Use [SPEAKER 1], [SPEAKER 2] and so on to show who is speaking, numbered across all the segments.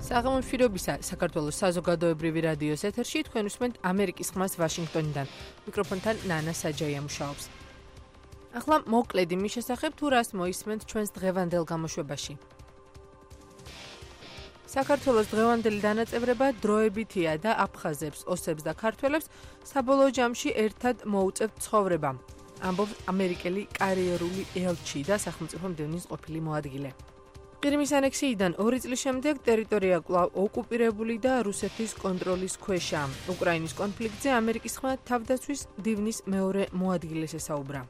[SPEAKER 1] საღამომშვიდობისა საქართველოს საზოგადოებრივი რადიოს ეთერში თქვენ უსმენთ ამერიკის ხმას ვაშინგტონიდან. მიკროფონთან ნანა საჯაია მუშაობს. ახლა მოკლედ იმის შესახებ თუ რას მოისმენთ ჩვენს დღევანდელ გამოშვებაში. საქართველოს დღევანდელი დანაწევრება დროებითია და აფხაზებს, ოსებს და ქართველებს საბოლოო ჯამში ერთად მოუწევთ ცხოვრება. ამბობს ამერიკელი კარიერული ელჩი და სახელმწიფო მდივნის ყოფილი მოადგილე. ყირიმის ანექსიიდან 2 წლის შემდეგ ტერიტორია კვლავ ოკუპირებული და რუსეთის კონტროლის ქვეშა. უკრაინის კონფლიქტზე ამერიკის ხმა თავდაცვის მდივნის მეორე მოადგილეს ესაუბრა.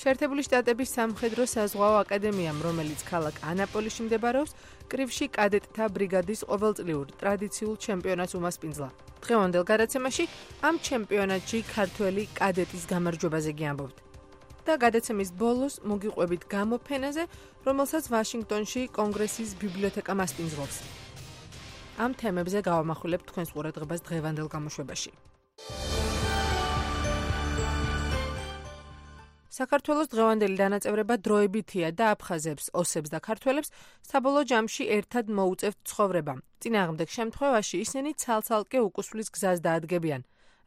[SPEAKER 1] შეერთებული შტატების სამხედრო საზღვაო აკადემიამ, რომელიც ქალაქ ანაპოლისში მდებარეობს, კრივში კადეტთა ბრიგადის ყოველწლიურ ტრადიციულ ჩემპიონატს უმასპინძლა. დღევანდელ გადაცემაში ამ ჩემპიონატში ქართველი კადეტის გამარჯვებაზე გიამბობთ. და გადაცემის ბოლოს მოგიყვებით გამოფენაზე, რომელსაც ვაშინგტონში კონგრესის ბიბლიოთეკა მასპინძლობს. ამ თემებზე გავამახვილებთ თქვენს ყურადღებას დღევანდელ გამოშვებაში. საქართველოს დღევანდელი დანაწევრება დროებითია და აფხაზებს, ოსებს და ქართველებს საბოლოო ჯამში ერთად მოუწევთ ცხოვრება. წინააღმდეგ შემთხვევაში ისინი ცალ-ცალკე უკუსვლის გზას დაადგებიან.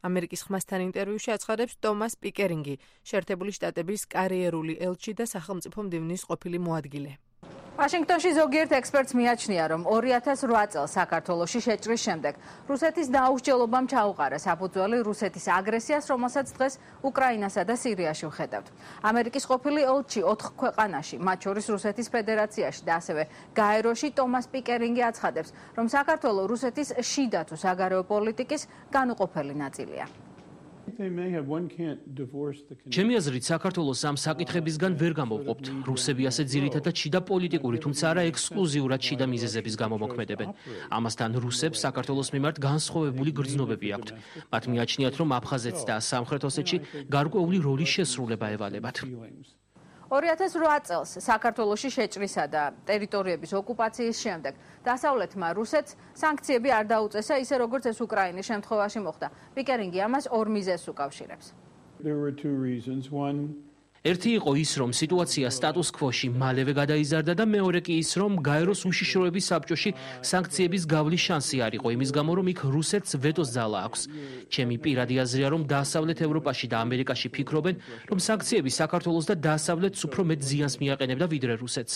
[SPEAKER 1] ამერიკის ხმასთან ინტერვიუში აცხადებს ტომას პიკერინგი, შეერთებული შტატების კარიერული ელჩი და სახელმწიფო მდივნის ყოფილი მოადგილე.
[SPEAKER 2] ვაშინგტონში ზოგიერთ ექსპერტს მიაჩნია, რომ 2008 წელს საქართველოში შეჭრის შემდეგ რუსეთის დაუსჯელობამ ჩაუყარა საფუძველი რუსეთის აგრესიას, რომელსაც დღეს უკრაინასა და სირიაში ვხედავთ. ამერიკის ყოფილი ელჩი 4 ქვეყანაში, მათ შორის რუსეთის ფედერაციაში და ასევე გაეროში ტომას პიკერინგი აცხადებს, რომ საქართველო რუსეთის შიდა თუ საგარეო პოლიტიკის განუყოფელი ნაწილია.
[SPEAKER 3] ჩემი აზრით, საქართველოს ამ საკითხებისგან ვერ გამოვყოფთ. რუსები ასე ძირითადად შიდა პოლიტიკური, თუმცა არა ექსკლუზიურად შიდა მიზეზების გამო მოქმედებენ. ამასთან რუსებს საქართველოს მიმართ განსხვავებული გრძნობები აქვთ. მათ მიაჩნიათ, რომ აფხაზეთს და სამხრეთ ოსეთში გარკვეული როლის შესრულება ევალებათ.
[SPEAKER 2] 2008 წელს საქართველოში შეჭრისა და ტერიტორიების ოკუპაციის შემდეგ დასავლეთმა რუსეთს სანქციები არ დაუწესა, ისე როგორც ეს უკრაინის შემთხვევაში მოხდა. პიკერინგი ამას ორ მიზეზს უკავშირებს.
[SPEAKER 3] ერთი იყო ის, რომ სიტუაცია სტატუს ქვოში მალევე გადაიზარდა და მეორე კი ის, რომ გაეროს უშიშროების საბჭოში სანქციების გავლის შანსი არ იყო, იმის გამო, რომ იქ რუსეთს ვეტოს ძალა აქვს. ჩემი პირადი აზრია, რომ დასავლეთ ევროპაში და ამერიკაში ფიქრობენ, რომ სანქციები საქართველოს და დასავლეთს უფრო მეტ ზიანს მიაყენებდა ვიდრე რუსეთს.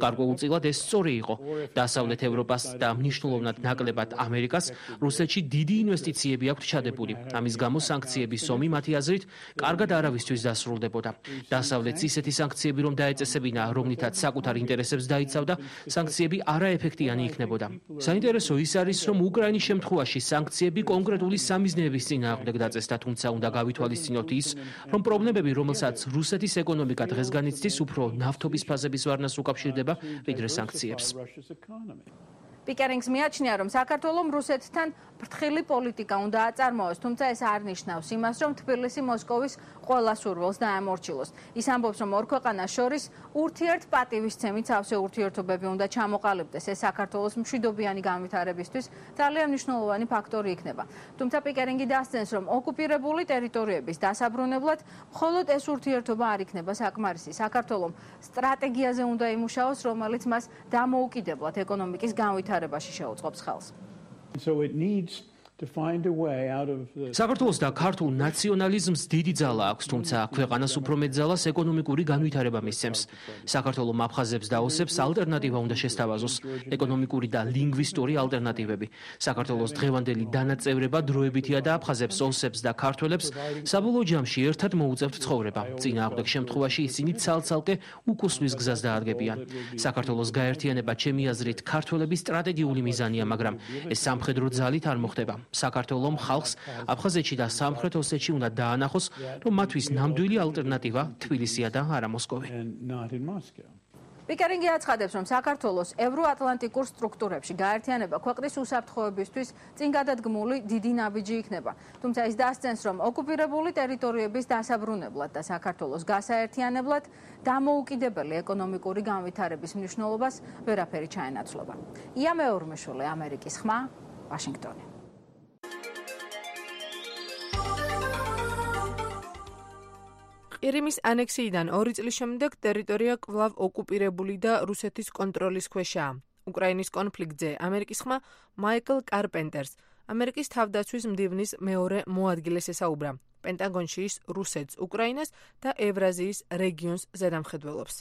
[SPEAKER 3] გარკვეულწილად ეს სწორი იყო. დასავლეთ ევროპას და მნიშვნელოვნად ნაკლებად ამერიკას რუსეთში დიდი ინვესტიციები აქვს ჩადებული. ამის გამო სანქციების ომი მათი აზრით კარგად არავისთვის დასრულდებოდა. დასავლეთს ისეთი სანქციები რომ დაეწესებინა, რომლითაც საკუთარ ინტერესებს დაიცავდა, სანქციები არაეფექტიანი იქნებოდა. საინტერესო ის არის, რომ უკრაინის შემთხვევაში სანქციები კონკრეტული სამიზნეების წინააღმდეგ დაწესდა, თუმცა უნდა გავითვალისწინოთ ის, რომ პრობლემები, რომელსაც რუსეთის ეკონომიკა დღეს განიცდის, უფრო ნავთობის ფაზების ვარნას უკავშირდება, ვიდრე სანქციებს.
[SPEAKER 2] პიკერინგს მიაჩნია, რომ საქართველომ რუსეთთან ფრთხილი პოლიტიკა უნდა აწარმოოს, თუმცა ეს არ ნიშნავს იმას, რომ თბილისი მოსკოვის ყველა სურვილს დაემორჩილოს. ის ამბობს, რომ ორ ქვეყანას შორის ურთიერთპატივისცემით სავსე ურთიერთობები უნდა ჩამოყალიბდეს. ეს საქართველოს მშვიდობიანი განვითარებისთვის ძალიან მნიშვნელოვანი ფაქტორი იქნება. თუმცა პიკერინგი დასძენს, რომ ოკუპირებული ტერიტორიების დასაბრუნებლად მხოლოდ ეს ურთიერთობა არ იქნება საკმარისი. საქართველომ სტრატეგიაზე უნდა იმუშაოს, რომელიც მას დამოუკიდებლად ეკონომიკის განვითარებაში შეუწყობს ხელს.
[SPEAKER 3] საქართველოს და ქართულ ნაციონალიზმს დიდი ძალა აქვს, თუმცა ქვეყანას უფრო მეტ ძალას ეკონომიკური განვითარება მისცემს. საქართველომ აფხაზებს და ოსებს ალტერნატივა უნდა შესთავაზოს, ეკონომიკური და ლინგვისტური ალტერნატივები. საქართველოს დღევანდელი დანაწევრება დროებითია და აფხაზებს, ოსებს და ქართველებს საბოლოო ჯამში ერთად მოუწევთ ცხოვრება. წინააღმდეგ შემთხვევაში ისინი ცალ-ცალკე უკუსვლის გზას დაადგებიან. საქართველოს გაერთიანება ჩემი აზრით ქართველების სტრატეგიული მიზანია, მაგრამ ეს სამხედრო ძალით არ მოხდება. საქართველოს ხალხს აფხაზეთში და სამხრეთ ოსეთში უნდა დაანახოს, რომ მათთვის ნამდვილი ალტერნატივა თბილისია და არა მოსკოვი.
[SPEAKER 2] პიკერინგი აცხადებს, რომ საქართველოს ევროატლანტიკურ სტრუქტურებში გაერთიანება ქვეყნის უსაფრთხოებისთვის წინგადადგმული დიდი ნაბიჯი იქნება. თუმცა ის დასძენს, რომ ოკუპირებული ტერიტორიების დასაბრუნებლად და საქართველოს გასაერთიანებლად დამოუკიდებელი ეკონომიკური განვითარების მნიშვნელობას ვერაფერი ჩაენაცვლება. ია მეორმეშვილი, ამერიკის ხმა, ვაშინგტონი.
[SPEAKER 1] ყირიმის ანექსიიდან 2 წლის შემდეგ ტერიტორია კვლავ ოკუპირებული და რუსეთის კონტროლის ქვეშაა. უკრაინის კონფლიქტზე ამერიკის ხმა მაიკლ კარპენტერს ამერიკის თავდაცვის მდივნის მეორე მოადგილეს ესაუბრა. პენტაგონში ის რუსეთს, უკრაინას და ევრაზიის რეგიონს ზედამხედველობს.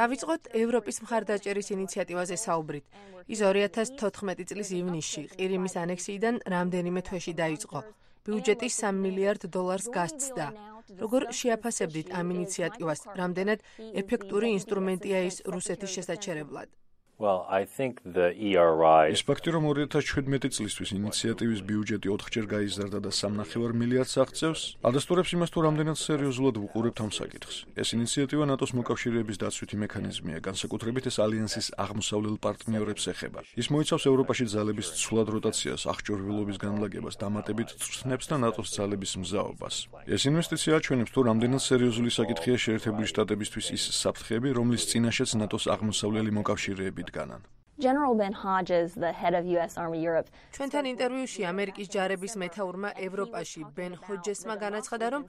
[SPEAKER 1] დავიწყოთ ევროპის მხარდაჭერის ინიციატივაზე საუბრით. ის 2014 წლის ივნისში ყირიმის ანექსიიდან რამდენიმე თვეში დაიწყო. ბიუჯეტი $3 მილიარდ გასცდა. როგორ შეაფასებდით ამ ინიციატივას? რამდენად ეფექტური ინსტრუმენტია ის რუსეთის შესაჩერებლად?
[SPEAKER 4] ის ფაქტი, რომ 2017 წლისთვის ინიციატივის ბიუჯეტი 4-ჯერ გაიზარდა და $3.5 მილიარდს აღწევს, ადასტურებს იმას, თუ რამდენად სერიოზულად ვუყურებთ ამ საკითხს. ეს ინიციატივა ნატოს მოკავშირეების დაცვითი მექანიზმია, განსაკუთრებით ეს ალიანსის აღმოსავლელ პარტნიორებს ეხება. ის მოიცავს ევროპაში ძალების ცვლად როტაციას, აღჭურვილობის განლაგებას, დამატებით წვრთნებს და ნატოს ძალების მზაობას. ეს ინვესტიცია აჩვენებს, თუ რამდენად სერიოზული საკითხია შეერთებული შტატებისთვის ის საფრთხეები, რომლის წინაშეც ნატოს აღმოსავლელი მოკავშირეები
[SPEAKER 5] General Ben Hodges, the head of US Army Europe.
[SPEAKER 1] ჩვენთან ინტერვიუში ამერიკის ჯარების მეთაურმა ევროპაში ბენ ჰოჯესმა განაცხადა, რომ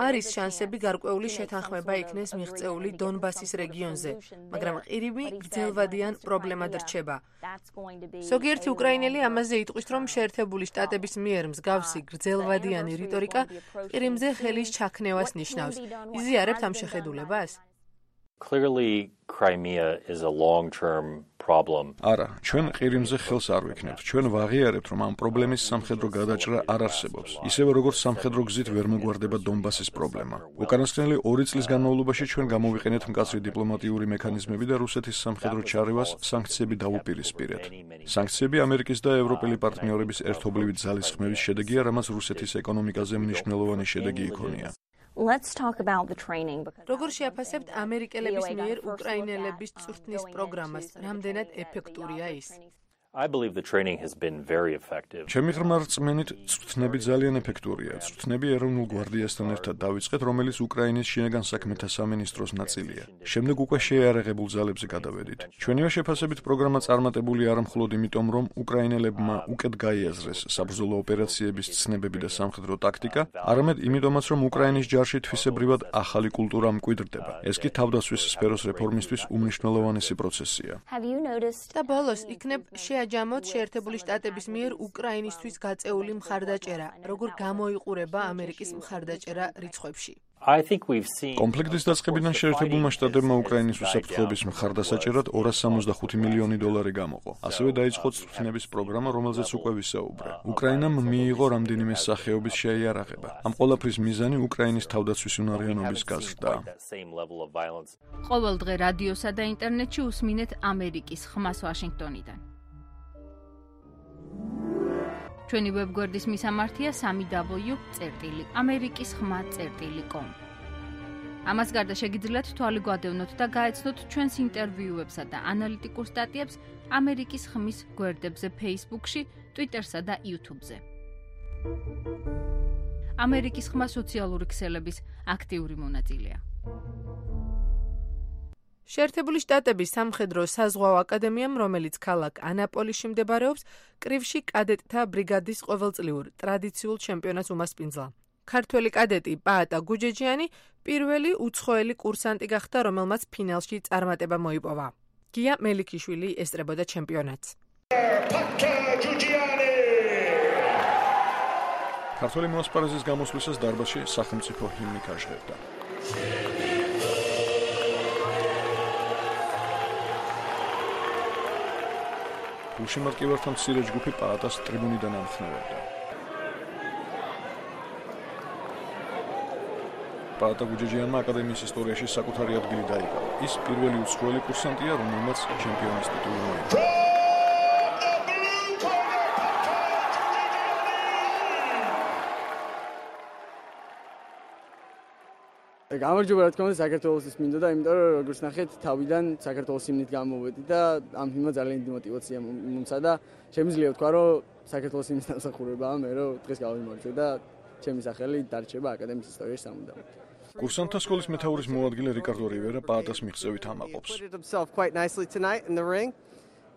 [SPEAKER 1] არის შანსები გარკვეული შეთანხმება იქნეს მიღწეული დონბასის რეგიონზე, მაგრამ ყირიმი გრძელვადიან პრობლემად რჩება. ზოგიერთი უკრაინელი ამაზე იტყვის, რომ შეერთებული შტატების მიერ მსგავსი გრძელვადიანი რიტორიკა ყირიმზე ხელის ჩაქნევას ნიშნავს. იზიარებთ ამ შეხედულებას?
[SPEAKER 6] Clearly, Crimea is a long-term problem.
[SPEAKER 4] არა, ჩვენ ყირიმზე ხელს არ ვიქნებთ. ჩვენ ვაღიარებთ, რომ ამ პრობლემის სამხედრო გადაჭრა არ არსებობს. ისევე როგორც სამხედრო გზით ვერ მოგვარდება დონბასის პრობლემა. უკანასკნელი 2 წლის განმავლობაში ჩვენ გამოვიყენეთ მკაცრი დიპლომატიური მექანიზმები და რუსეთის სამხედრო ჩარევას სანქციები დავუპირისპირეთ. სანქციები ამერიკის და ევროპელი პარტნიორების ერთობლივი ძალის ხმების შედეგია, რამაც რუსეთის ეკონომიკაზე მნიშვნელოვანი შედეგი იქონია.
[SPEAKER 5] Let's talk about the training.
[SPEAKER 1] როგორ შეაფასებთ ამერიკელების მიერ უკრაინელების წვრთნის პროგრამას? რამდენად ეფექტურია ის?
[SPEAKER 6] I believe the training has been very effective.
[SPEAKER 4] ჩემი ღრმა რწმენით, წვრთნები ძალიან ეფექტურია. წვრთნები ეროვნულ გვარდიასთან ერთად დავიწყეთ, რომელიც უკრაინის შინაგან საქმეთა სამინისტროს ნაწილია. შემდეგ უკვე შეიარაღებულ ძალებზე გადავედით. ჩვენივე შეფასებით პროგრამა წარმატებული არა მხოლოდ იმიტომ, რომ უკრაინელებმა უკეთ გაიაზრეს საბრძოლო ოპერაციების ცნებები და სამხედრო ტაქტიკა, არამედ იმიტომაც, რომ უკრაინის ჯარში თვისებრივად ახალი კულტურა მკვიდრდება. ეს კი თავდაცვის სფეროს რეფორმისთვის უმნიშვნელოვანესი პროცესია.
[SPEAKER 1] და ბოლოს იქნებ შეაჯამოთ შეერთებული შტატების მიერ უკრაინისთვის გაწეული მხარდაჭერა, როგორ გამოიყურება ამერიკის მხარდაჭერა რიცხვებში.
[SPEAKER 4] კონფლიქტის დაწყებიდან შეერთებულმა შტატებმა უკრაინის უსაფრთხოების მხარდასაჭერად $265 მილიონი გამოყო. ასევე დაიწყო წვრთნების პროგრამა, რომელზეც უკვე ვისაუბრე. უკრაინამ მიიღო რამდენიმე სახეობის შეიარაღება. ამ ყველაფრის მიზანი უკრაინის თავდაცვის უნარიანობის გაზრდა.
[SPEAKER 2] ყოველ დღე რადიოსა და ინტერნეტში უსმინეთ ამერიკის ხმას ვაშინგტონიდან. ჩვენი ვებგვერდის მისამართია www.amerikiskhma.com. ამას გარდა შეგიძლიათ თვალი გვადევნოთ და გაეცნოთ ჩვენს ინტერვიუებსა და ანალიტიკურ სტატიებს ამერიკის ხმის გვერდებზე Facebook-ში, Twitter-სა და YouTube-ზე. ამერიკის ხმა სოციალური ქსელების აქტიური მონაწილეა.
[SPEAKER 1] შეერთებული შტატების სამხედრო საზღვაო აკადემიამ, რომელიც ქალაქ ანაპოლიში მდებარეობს, კრივში კადეტთა ბრიგადის ყოველწლიურ ტრადიციულ ჩემპიონატს უმასპინძლა. ქართველი კადეტი პაატა გუჯეჯიანი პირველი უცხოელი კურსანტი გახდა, რომელმაც ფინალში წარმატება მოიპოვა. გია მელიქიშვილი ესწრებოდა ჩემპიონატს.
[SPEAKER 4] ქართველი მოსპარეზის გამოსვლისას დარბაზში სახელმწიფო ჰიმნი ქაჟღერდა. გულშემატკივართა მცირე ჯგუფი პაატას ტრიბუნიდან ამხნევებდა. პაატა გუჯეჯიანმა აკადემიის ისტორიაში საკუთარი ადგილი დაიკავა. ის პირველი უცხოელი კურსანტია, რომელმაც ჩემპიონის ტიტული მოიპოვა.
[SPEAKER 7] გამარჯობა, რა თქმა უნდა, საქართველოს მინდოდა, იმიტომ რომ როგორც ნახეთ, თავიდან საქართველოს ჰიმნით გამოვედი და ამ ჰიმნმა ძალიან დიდი мотиваცია მომცა და შემიძლია ვთქვა, რომ საქართველოს ჰიმნის დამსახურებაა მე რომ დღეს გავიმარჯვე და ჩემი სახელი დარჩება აკადემიის ისტორიაში სამუდამოდ.
[SPEAKER 4] კურსანტთა სკოლის მეთაურის მოადგილე რიკარდო რივერა პაატას მიღწევით ამაყობს.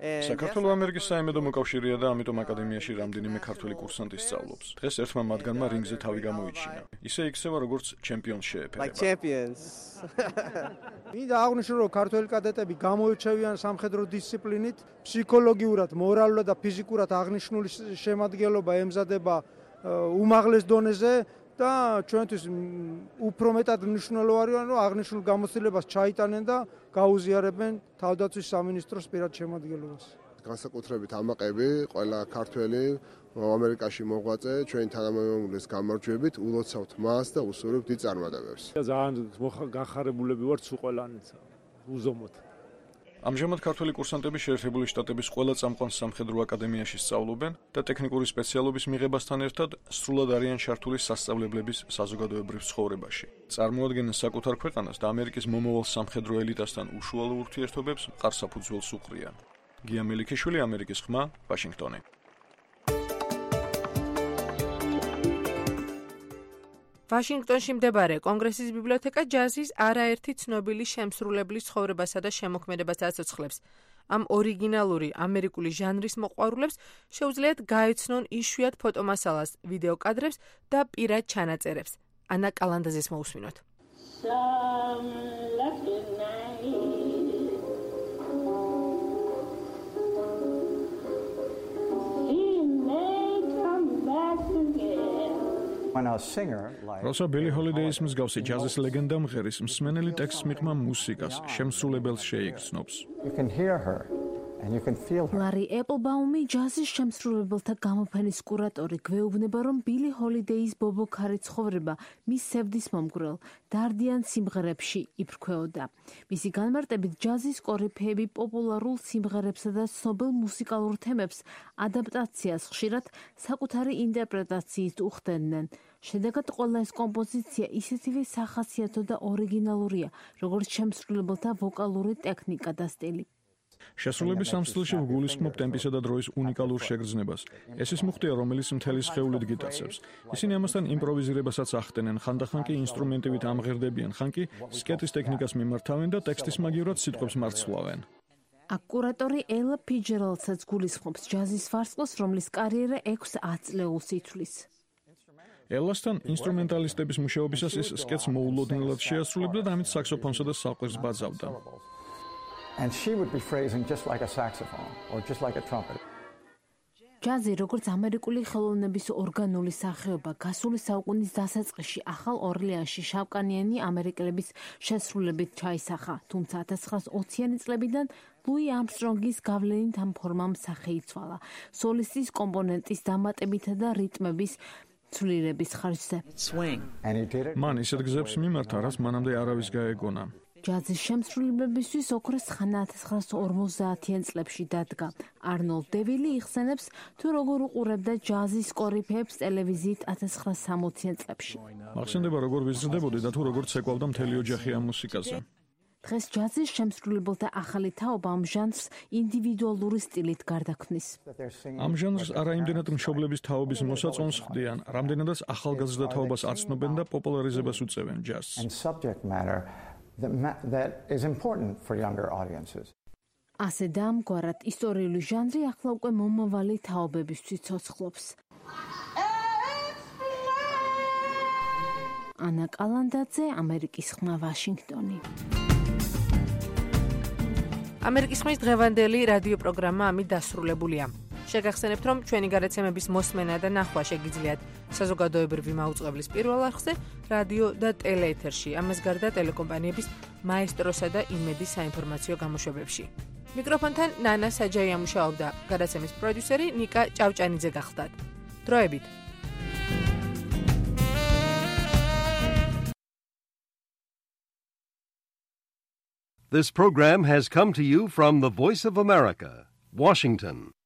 [SPEAKER 4] საქართველოს ამერიკის საიმედო მოკავშირეა და ამიტომ აკადემიაში რამდენიმე ქართველი კურსანტი სწავლობს. დღეს ერთმა მათგანმა რინგზე თავი გამოიჩინა. ისე იქცევა როგორც ჩემპიონს შეეფერება.
[SPEAKER 8] Like champions. მინდა აღნიშნო, რომ ქართველი კადეტები გამოირჩევიან სამხედრო დისციპლინით, ფსიქოლოგიურად, მორალურად და ფიზიკურად აღნიშნული შემადგენლობა ემზადება უმაღლეს დონეზე და ჩვენთვის უფრო მეტად მნიშვნელოვანია, რომ აღნიშნულ გამოცდილებას ჩაიტანენ და გაუზიარებენ თავდაცვის სამინისტროს პირად შემადგენლობას.
[SPEAKER 9] განსაკუთრებით ამაყები, ყველა ქართველი ამერიკაში მოღვაწე, ჩვენი თანამემამულეს გამარჯვებით, ულოცავთ მას და უსურვებთ დიდ წარმატებებს.
[SPEAKER 10] ძალიან განხარებულები ვართ სულ ყველანიც. უზომოდ.
[SPEAKER 4] ამჟამად ქართველი კურსანტები შეერთებული შტატების ყველა წამყვან სამხედრო აკადემიაში სწავლობენ და ტექნიკური სპეციალობის მიღებასთან ერთად სრულად არიან ჩართული სასწავლებლების საზოგადოებრივ ცხოვრებაში. წარმოადგენენ საკუთარ ქვეყანას და ამერიკის მომავალ სამხედრო ელიტასთან უშუალო ურთიერთობებს მყარ საფუძველს უყრიან. გია მელიქიშვილი, ამერიკის ხმა, ვაშინგტონი.
[SPEAKER 1] ვაშინგტონში მდებარე კონგრესის ბიბლიოთეკა ჯაზის არაერთი ცნობილი შემსრულებლის ცხოვრებასა და შემოქმედებას აცოცხლებს. ამ ორიგინალური ამერიკული ჟანრის მოყვარულებს შეუძლიათ გაეცნონ იშვიათ ფოტომასალას, ვიდეო კადრებს და პირად ჩანაწერებს. ანა კალანდაძეს მოусმინოთ.
[SPEAKER 4] როცა ბილი ჰოლიდეის მსგავსი ჯაზის ლეგენდა მღერის, მსმენელი ტექსტს მიღმა მუსიკას, შემსრულებელს შეიგრძნობს.
[SPEAKER 11] ლარი ეპლბაუმი, ჯაზის შემსრულებელთა გამოფენის კურატორი, გვეუბნება, რომ ბილი ჰოლიდეის ბობოქარი ცხოვრება მის სევდის მომგვრელ დარდიან სიმღერებში იფრქვეოდა. მისი განმარტებით, ჯაზის კორიფეები პოპულარულ სიმღერებსა და ცნობილ მუსიკალურ თემებს ადაპტაციას ხშირად საკუთარი ინტერპრეტაციით უხდენდნენ. შედეგად ყველა ეს კომპოზიცია ისეთივე სახასიათო და ორიგინალურია, როგორც შემსრულებელთა ვოკალური ტექნიკა და სტილი.
[SPEAKER 4] შესრულების ამ სტილში ვგულისხმობ ტემპისა და დროის უნიკალურ შეგრძნებას. ეს ის მუხტია, რომელიც მთელი სხეულით გიტაცებს. ისინი ამასთან იმპროვიზირებასაც ახდენენ, ხანდახან კი ინსტრუმენტივით ამღერდებიან, ხან კი სკეტის ტექნიკას მიმართავენ და ტექსტის მაგივრად სიტყვებს მარცვლავენ.
[SPEAKER 11] კურატორი ელა ფიჯერალდსაც გულისხმობს ჯაზის ვარსკვლავს, რომლის კარიერა 6-10 წლეულს ითვლის.
[SPEAKER 4] ელასთან ინსტრუმენტალისტების მუშაობისას ის სკეტს მოულოდნელად შეასრულებდა და ამით საქსოფონსა და საყვირს ბაძავდა.
[SPEAKER 12] And she would be phrasing just like a saxophone or just like a trumpet.
[SPEAKER 11] ჯაზი, როგორც ამერიკული ხელოვნების ორგანული სახეობა, გასული საუკუნის დასაწყისში ახალ ორლეანში შავკანიანი ამერიკელების შესრულებით ჩაისახა, თუმცა 1920-იანი წლებიდან ლუი ამსტრონგის გავლენით ამ ფორმამ სახე იცვალა. სოლისტის კომპონენტის დამატებითა და რიტმების ცვლილების ხარჯზე.
[SPEAKER 4] მან ისეთ გზებს მიმართა, რაც მანამდე არავის გაეგონა.
[SPEAKER 11] ჯაზის შემსრულებლებისთვის ოქროს ხანა 1950-იან წლებში დადგა. არნოლდ დევილი იხსენებს, თუ როგორ უყურებდა ჯაზის კორიფეებს ტელევიზიით 1960-იან წლებში.
[SPEAKER 4] მახსენდება, როგორ ვიზრდებოდი და თუ როგორ ცეკვავდა მთელი ოჯახი ამ მუსიკაზე.
[SPEAKER 11] დღეს ჯაზის შემსრულებელთა ახალი თაობა ამ ჟანრს ინდივიდუალური სტილით გარდაქმნის.
[SPEAKER 4] ამ ჟანრს არაიმდენად მშობლების თაობის მოსაწონს ხდიან, რამდენადაც ახალგაზრდა თაობას აცნობენ და პოპულარიზებას უწევენ ჯაზს.
[SPEAKER 12] That is important for younger audiences.
[SPEAKER 11] ასე და ამგვარად ისტორიული ჟანრი ახლა უკვე მომავალი თაობებისთვის ცოცხლობს. ანა კალანდაძე, ამერიკის ხმა, ვაშინგტონი.
[SPEAKER 1] ამერიკის ხმის დღევანდელი რადიო პროგრამა ამით დასრულებულია. შეგახსენებთ, რომ ჩვენი გადაცემების მოსმენა და ნახვა შეგიძლიათ საზოგადოებრივი მაუწყებლის პირველ არხზე, რადიო და ტელეეთერში, ამას გარდა ტელეკომპანიების მაესტროსა და იმედის საინფორმაციო გამოშვებებში. მიკროფონთან ნანა საჯაია მუშაობდა, გადაცემის პროდიუსერი ნიკა ჭავჭანიძე გახლდათ. დროებით.
[SPEAKER 13] This program has come to you from the Voice of America, Washington.